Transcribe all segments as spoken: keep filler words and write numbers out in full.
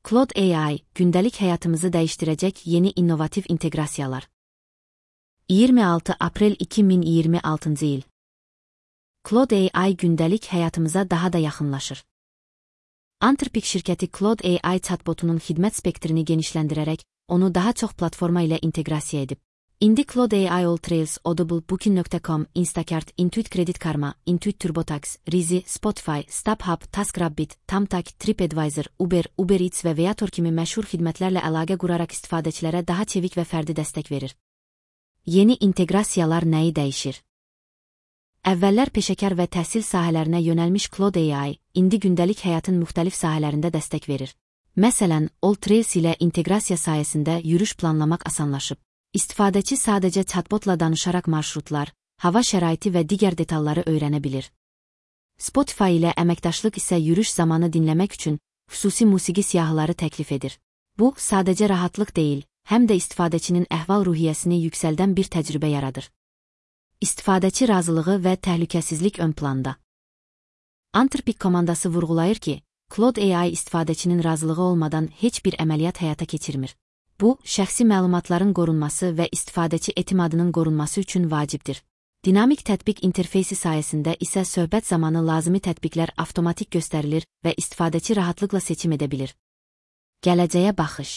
Claude A I, gündəlik həyatımızı dəyişdirəcək yeni innovativ inteqrasiyalar. iyirmi altı aprel iki min iyirmi altıncı il. Claude A I gündəlik həyatımıza daha da yaxınlaşır. Anthropic şirkəti Claude A I chatbotunun xidmət spektrini genişləndirərək, onu daha çox platforma ilə inteqrasiya edib. İndi Claude A I AllTrails, Audible, Booking nöqtə com, Instacart, Intuit Credit Karma, Intuit TurboTax, Rizi, Spotify, StubHub, TaskRabbit, Thumbtack, TripAdvisor, Uber, Uber Eats və Viator kimi məşhur xidmətlərlə əlaqə quraraq istifadəçilərə daha çevik və fərdi dəstək verir. Yeni inteqrasiyalar nəyi dəyişir? Əvvəllər peşəkar və təhsil sahələrinə yönəlmiş Claude A I, indi gündəlik həyatın müxtəlif sahələrində dəstək verir. Məsələn, AllTrails ilə inteqrasiya sayəsində yürüş planlamaq asanlaşıb. İstifadəçi sadəcə chatbotla danışaraq marşrutlar, hava şəraiti və digər detalları öyrənə bilir. Spotify ilə əməkdaşlıq isə yürüş zamanı dinləmək üçün xüsusi musiqi siyahıları təklif edir. Bu, sadəcə rahatlıq deyil, həm də istifadəçinin əhval-ruhiyyəsini yüksəldən bir təcrübə yaradır. İstifadəçi razılığı və təhlükəsizlik ön planda. Anthropic komandası vurğulayır ki, Claude A I istifadəçinin razılığı olmadan heç bir əməliyyat həyata keçirmir. Bu, şəxsi məlumatların qorunması və istifadəçi etimadının qorunması üçün vacibdir. Dinamik tətbiq interfeysi sayəsində isə söhbət zamanı lazımi tətbiqlər avtomatik göstərilir və istifadəçi rahatlıqla seçim edə bilir. Gələcəyə baxış.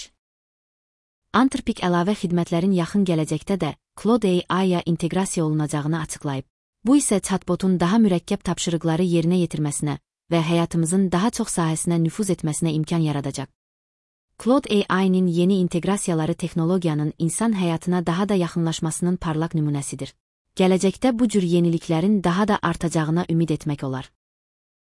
Anthropic əlavə xidmətlərin yaxın gələcəkdə də Claude A I-ya inteqrasiya olunacağını açıqlayıb. Bu isə chatbotun daha mürəkkəb tapşırıqları yerinə yetirməsinə və həyatımızın daha çox sahəsinə nüfuz etməsinə imkan yaradacaq. Claude A I-nin yeni inteqrasiyaları texnologiyanın insan həyatına daha da yaxınlaşmasının parlaq nümunəsidir. Gələcəkdə bu cür yeniliklərin daha da artacağına ümid etmək olar.